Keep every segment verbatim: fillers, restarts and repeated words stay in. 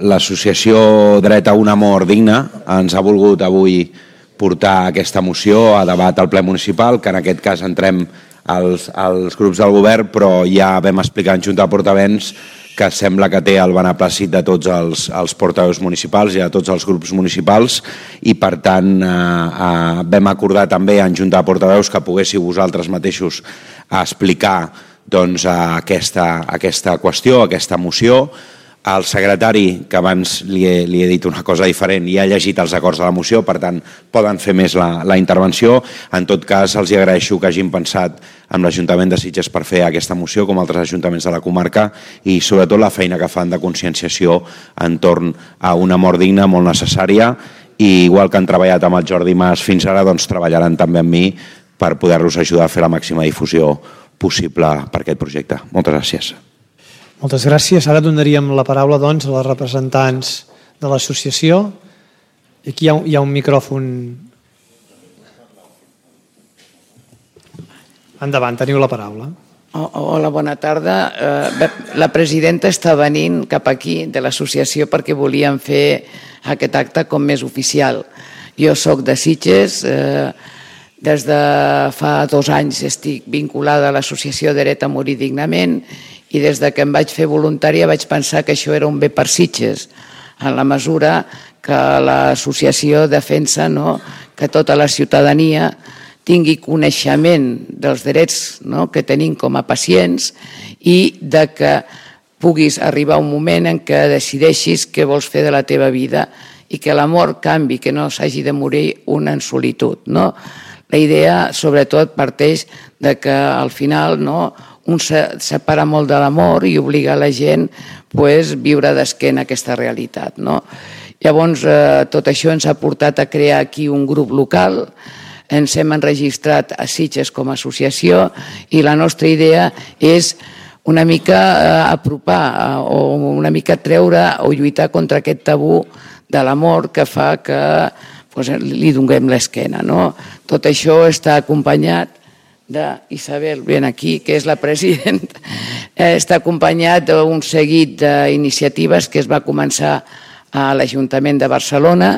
L'associació Dret a una mort digna ens ha volgut avui portar aquesta moció a debat al ple municipal, que en aquest cas entrem als, als grups del govern, però ja vam explicar en Junta de Portaveus que sembla que té el beneplàcit de tots els, els portaveus municipals i de tots els grups municipals i per tant eh, eh, vam acordar també en Junta de Portaveus que poguéssiu vosaltres mateixos explicar doncs, aquesta, aquesta qüestió, aquesta moció. El secretari, que abans li he, li he dit una cosa diferent, ja ha llegit els acords de la moció, per tant, poden fer més la, la intervenció. En tot cas, els agraeixo que hagin pensat amb l'Ajuntament de Sitges per fer aquesta moció, com altres ajuntaments de la comarca, i sobretot la feina que fan de conscienciació entorn a una mort digna molt necessària, i igual que han treballat amb el Jordi Mas fins ara, doncs treballaran també amb mi per poder-los ajudar a fer la màxima difusió possible per aquest projecte. Moltes gràcies. Moltes gràcies. Ara donaríem la paraula doncs, a les representants de l'associació. Aquí hi ha, hi ha un micròfon. Endavant, teniu la paraula. Hola, bona tarda. La presidenta està venint cap aquí de l'associació perquè volíem fer aquest acte com més oficial. Jo soc de Sitges, des de fa dos anys estic vinculada a l'associació Dret a morir dignament i des que em vaig fer voluntària vaig pensar que això era un bé per Sitges, en la mesura que l'associació defensa que tota la ciutadania tingui coneixement dels drets que tenim com a pacients i que puguis arribar a un moment en què decideixis què vols fer de la teva vida i que la mort canvi, que no s'hagi de morir un en solitud. La idea, sobretot, parteix que al final un se separa molt de l'amor i obliga la gent a viure d'esquena aquesta realitat. Llavors, tot això ens ha portat a crear aquí un grup local, ens hem enregistrat a Sitges com a associació i la nostra idea és una mica apropar o una mica treure o lluitar contra aquest tabú de l'amor que fa que li donem l'esquena. Tot això està acompanyat d'Isabel, ben aquí, que és la presidenta, està acompanyat d'un seguit d'iniciatives que es va començar a l'Ajuntament de Barcelona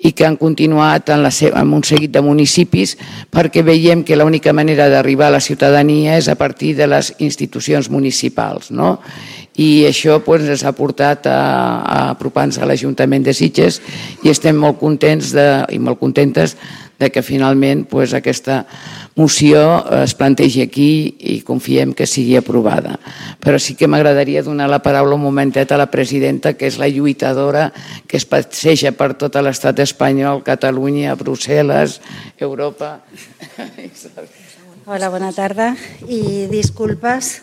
i que han continuat en un seguit de municipis perquè veiem que l'única manera d'arribar a la ciutadania és a partir de les institucions municipals. I això ens ha portat a apropar-nos a l'Ajuntament de Sitges i estem molt contents i molt contentes que finalment aquesta moció es plantegi aquí i confiem que sigui aprovada. Però sí que m'agradaria donar la paraula un momentet a la presidenta, que és la lluitadora que es passeja per tot l'estat espanyol, Catalunya, Brussel·les, Europa. Hola, bona tarda i disculpes.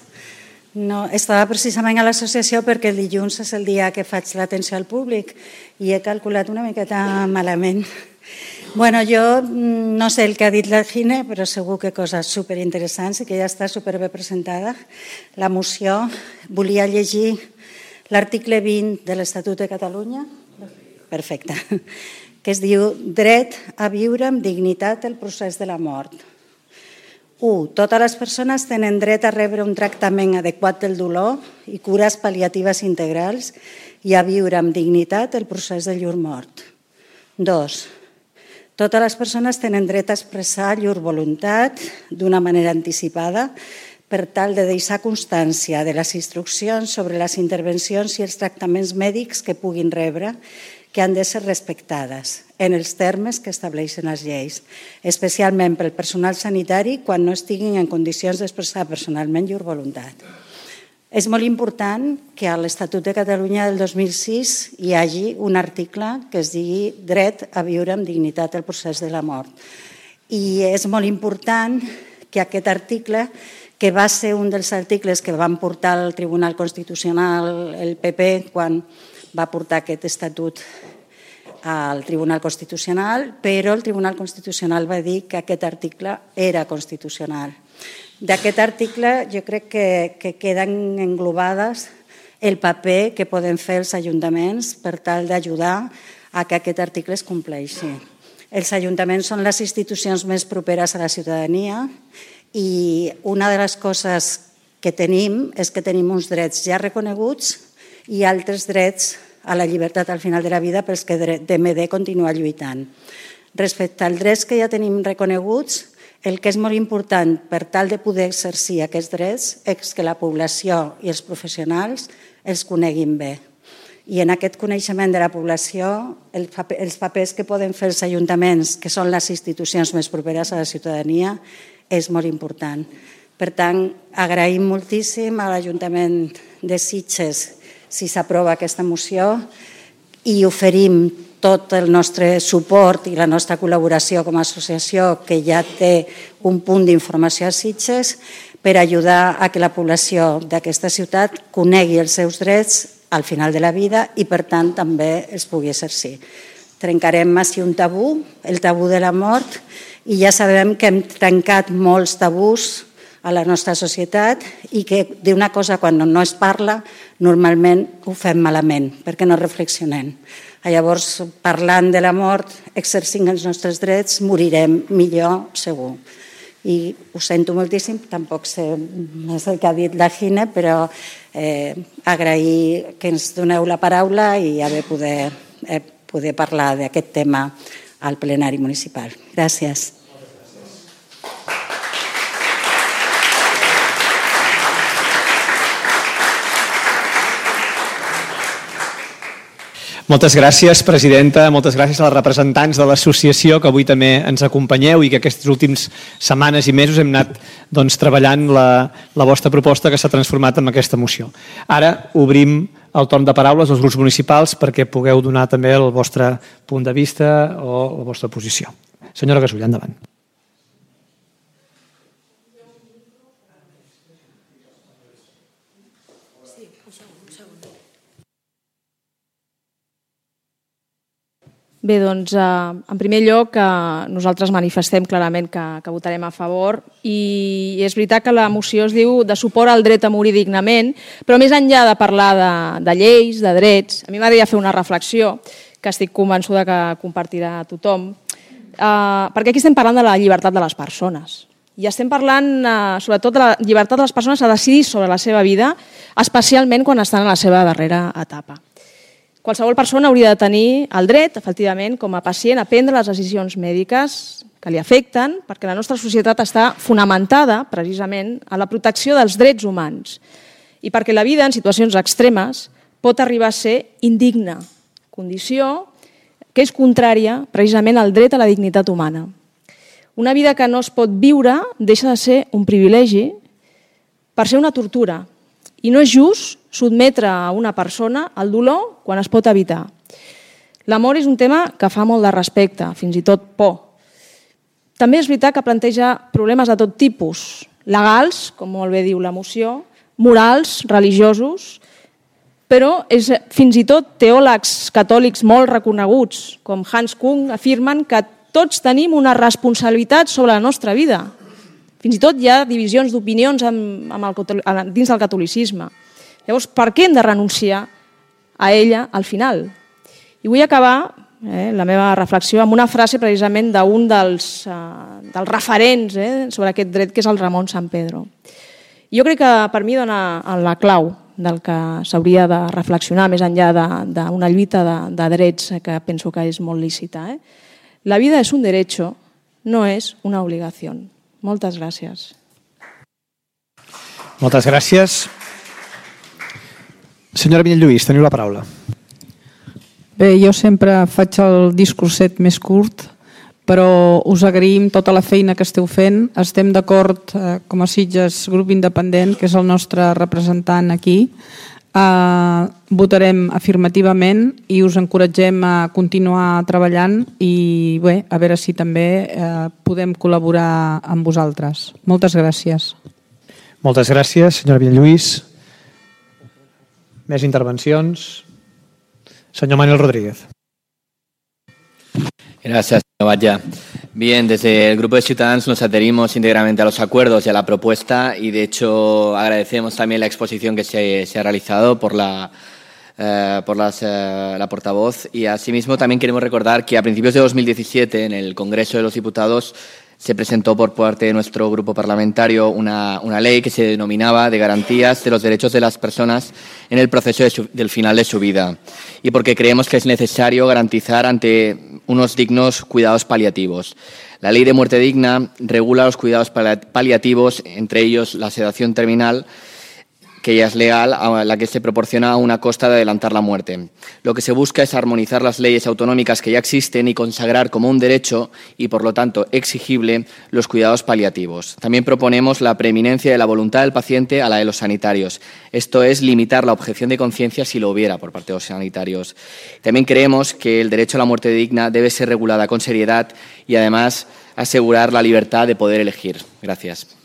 Estava precisament a l'associació perquè el dilluns és el dia que faig l'atenció al públic i he calculat una miqueta malament. Bueno, jo no sé el que ha dit la Gine, però segur que coses superinteressants i que ja està superbé presentada. La moció, volia llegir l'article vint de l'Estatut de Catalunya, perfecte, que es diu Dret a viure amb dignitat el procés de la mort. u. Totes les persones tenen dret a rebre un tractament adequat del dolor i cures pal·liatives integrals i a viure amb dignitat el procés de llur mort. dos. Totes les persones tenen dret a expressar llur voluntat d'una manera anticipada per tal de deixar constància de les instruccions sobre les intervencions i els tractaments mèdics que puguin rebre, que han de ser respectades en els termes que estableixen les lleis, especialment pel personal sanitari quan no estiguin en condicions d'expressar personalment llur voluntat. És molt important que a l'Estatut de Catalunya del dos mil sis hi hagi un article que es digui Dret a viure amb dignitat el procés de la mort. I és molt important que aquest article, que va ser un dels articles que van portar al Tribunal Constitucional el P P quan va portar aquest estatut al Tribunal Constitucional, però el Tribunal Constitucional va dir que aquest article era constitucional. D'aquest article jo crec que queden englobades el paper que poden fer els ajuntaments per tal d'ajudar a que aquest article es compleixi. Els ajuntaments són les institucions més properes a la ciutadania i una de les coses que tenim és que tenim uns drets ja reconeguts i altres drets a la llibertat al final de la vida pels que D M D continua lluitant. Respecte als drets que ja tenim reconeguts, el que és molt important per tal de poder exercir aquests drets és que la població i els professionals els coneguin bé. I en aquest coneixement de la població, els papers que poden fer els ajuntaments, que són les institucions més properes a la ciutadania, és molt important. Per tant, agraïm moltíssim a l'Ajuntament de Sitges si s'aprova aquesta moció i oferim tot el nostre suport i la nostra col·laboració com a associació que ja té un punt d'informació a Sitges per ajudar a que la població d'aquesta ciutat conegui els seus drets al final de la vida i, per tant, també els pugui exercir. Trencarem així un tabú, el tabú de la mort, i ja sabem que hem trencat molts tabús a la nostra societat i que d'una cosa quan no es parla normalment ho fem malament perquè no reflexionem. Llavors, parlant de la mort, exercint els nostres drets, morirem millor segur. I ho sento moltíssim, tampoc sé més el que ha dit la Gine, però eh, agrair que ens doneu la paraula i haver poder, eh, poder parlar d'aquest tema al plenari municipal. Gràcies. Moltes gràcies, presidenta. Moltes gràcies a les representants de l'associació que avui també ens acompanyeu i que aquestes últimes setmanes i mesos hem anat doncs, treballant la, la vostra proposta que s'ha transformat en aquesta moció. Ara obrim el torn de paraules als grups municipals perquè pugueu donar també el vostre punt de vista o la vostra posició. Senyora Gasull, endavant. Bé, doncs, eh, en primer lloc, eh, nosaltres manifestem clarament que, que votarem a favor i és veritat que la moció es diu de suport al dret a morir dignament, però més enllà de parlar de, de lleis, de drets, a mi m'agradaria fer una reflexió que estic convençuda que compartirà tothom, eh, perquè aquí estem parlant de la llibertat de les persones i estem parlant eh, sobretot de la llibertat de les persones a decidir sobre la seva vida, especialment quan estan en la seva darrera etapa. Qualsevol persona hauria de tenir el dret, efectivament, com a pacient, a prendre les decisions mèdiques que li afecten, perquè la nostra societat està fonamentada, precisament, a la protecció dels drets humans i perquè la vida, en situacions extremes, pot arribar a ser indigna, condició que és contrària, precisament, al dret a la dignitat humana. Una vida que no es pot viure deixa de ser un privilegi per ser una tortura i no és just sotmetre a una persona al dolor quan es pot evitar. L'amor és un tema que fa molt de respecte, fins i tot por. També és veritat que planteja problemes de tot tipus, legals, com molt bé diu la moció, morals, religiosos, però és, fins i tot teòlegs catòlics molt reconeguts, com Hans Kung, afirmen que tots tenim una responsabilitat sobre la nostra vida. Fins i tot hi ha divisions d'opinions amb, amb el, dins del catolicisme. Llavors, per què hem de renunciar a ella al final? I vull acabar eh, la meva reflexió amb una frase precisament d'un dels, eh, dels referents eh, sobre aquest dret, que és el Ramon Sampedro. Jo crec que per mi dona la clau del que s'hauria de reflexionar més enllà d'una lluita de, de drets que penso que és molt lícita. Eh? La vida és un derecho, no és una obligació. Moltes gràcies. Moltes gràcies. Senyora Vinyet-Lluís, teniu la paraula. Bé, jo sempre faig el discurset més curt, però us agraïm tota la feina que esteu fent. Estem d'acord, eh, com a Sitges Grup Independent, que és el nostre representant aquí. Eh, votarem afirmativament i us encoratgem a continuar treballant i bé, a veure si també eh, podem col·laborar amb vosaltres. Moltes gràcies. Moltes gràcies, senyora Vinyet-Lluís. Més intervencions. Señor Manuel Rodríguez. Gracias, señor Batlle. Bien, desde el Grupo de Ciudadanos nos adherimos íntegramente a los acuerdos y a la propuesta y, de hecho, agradecemos también la exposición que se, se ha realizado por la, eh, por las, eh, la portavoz y, asimismo, también queremos recordar que a principios de dos mil diecisiete, en el Congreso de los Diputados, se presentó por parte de nuestro grupo parlamentario una, una ley que se denominaba de garantías de los derechos de las personas en el proceso de su, del final de su vida, y porque creemos que es necesario garantizar ante unos dignos cuidados paliativos. La ley de muerte digna regula los cuidados paliativos, entre ellos la sedación terminal, que ya es legal, a la que se proporciona a una costa de adelantar la muerte. Lo que se busca es armonizar las leyes autonómicas que ya existen y consagrar como un derecho y, por lo tanto, exigible los cuidados paliativos. También proponemos la preeminencia de la voluntad del paciente a la de los sanitarios. Esto es limitar la objeción de conciencia si lo hubiera por parte de los sanitarios. También creemos que el derecho a la muerte digna debe ser regulada con seriedad y, además, asegurar la libertad de poder elegir. Gracias.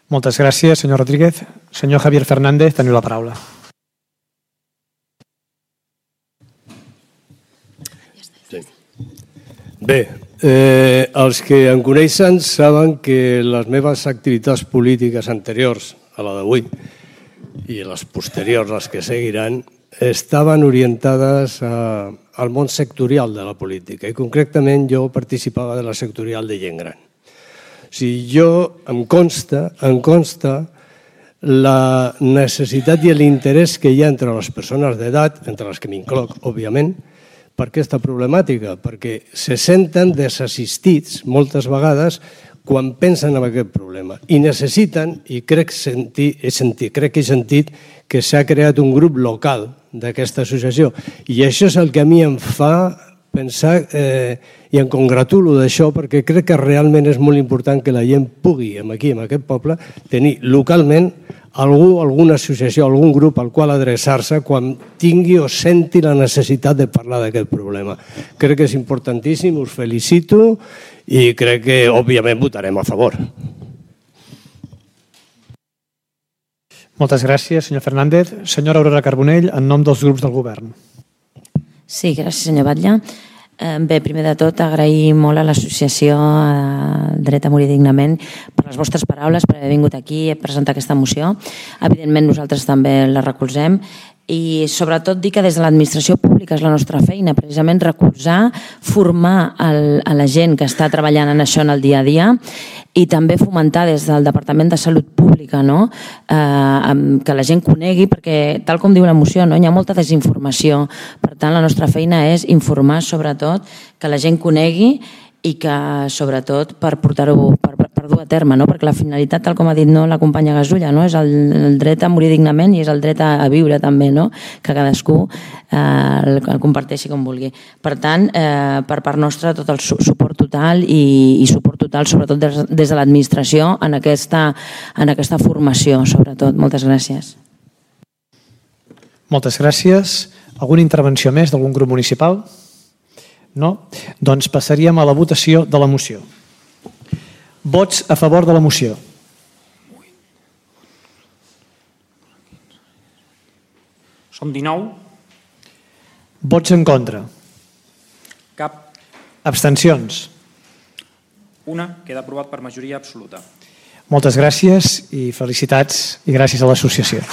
Moltes gràcies, senyor Rodríguez. Senyor Javier Fernández, teniu la paraula. Sí. Bé, eh, els que em coneixen saben que les meves activitats polítiques anteriors a la d'avui i les posteriors, les que seguiran, estaven orientades a, al món sectorial de la política i concretament jo participava de la sectorial de gent gran. O sigui, jo em consta, em consta la necessitat i l'interès que hi ha entre les persones d'edat, entre les que m'incloc, òbviament, per aquesta problemàtica, perquè se senten desassistits moltes vegades quan pensen en aquest problema i necessiten, i crec, sentir, he sentit, crec que he sentit que s'ha creat un grup local d'aquesta associació i això és el que a mi em fa pensar eh, i em congratulo d'això perquè crec que realment és molt important que la gent pugui, aquí, en aquest poble, tenir localment algú, alguna associació, algun grup al qual adreçar-se quan tingui o senti la necessitat de parlar d'aquest problema. Crec que és importantíssim, us felicito i crec que, òbviament, votarem a favor. Moltes gràcies, senyor Fernández. Senyora Aurora Carbonell, en nom dels grups del govern. Sí, gràcies, senyor Batlle. Bé, primer de tot, agrair molt a l'associació Dret a Morir Dignament per les vostres paraules, per haver vingut aquí i presentar aquesta moció. Evidentment, nosaltres també la recolzem i sobretot dir que des de l'administració pública és la nostra feina, precisament recolzar, formar el, a la gent que està treballant en això en el dia a dia i també fomentar des del Departament de Salut Pública, no? eh, que la gent conegui, perquè tal com diu la moció, no? Hi ha molta desinformació. Per tant, la nostra feina és informar sobretot, que la gent conegui i que sobretot per portar-ho, per, per dur a terme, no? Perquè la finalitat, tal com ha dit no, la companya Gasulla, no? És el, el dret a morir dignament i és el dret a, a viure també, no? Que cadascú eh, el, el comparteixi com vulgui. Per tant, eh, per part nostra, tot el su suport total i, i suport total, sobretot des, des de l'administració en, aquesta, en aquesta formació, sobretot. Moltes gràcies. Moltes gràcies. Alguna intervenció més d'algun grup municipal? No? Doncs passaríem a la votació de la moció. Vots a favor de la moció. Som dinou. Vots en contra. Cap. Abstencions. Una. Queda aprovat per majoria absoluta. Moltes gràcies i felicitats i gràcies a l'associació.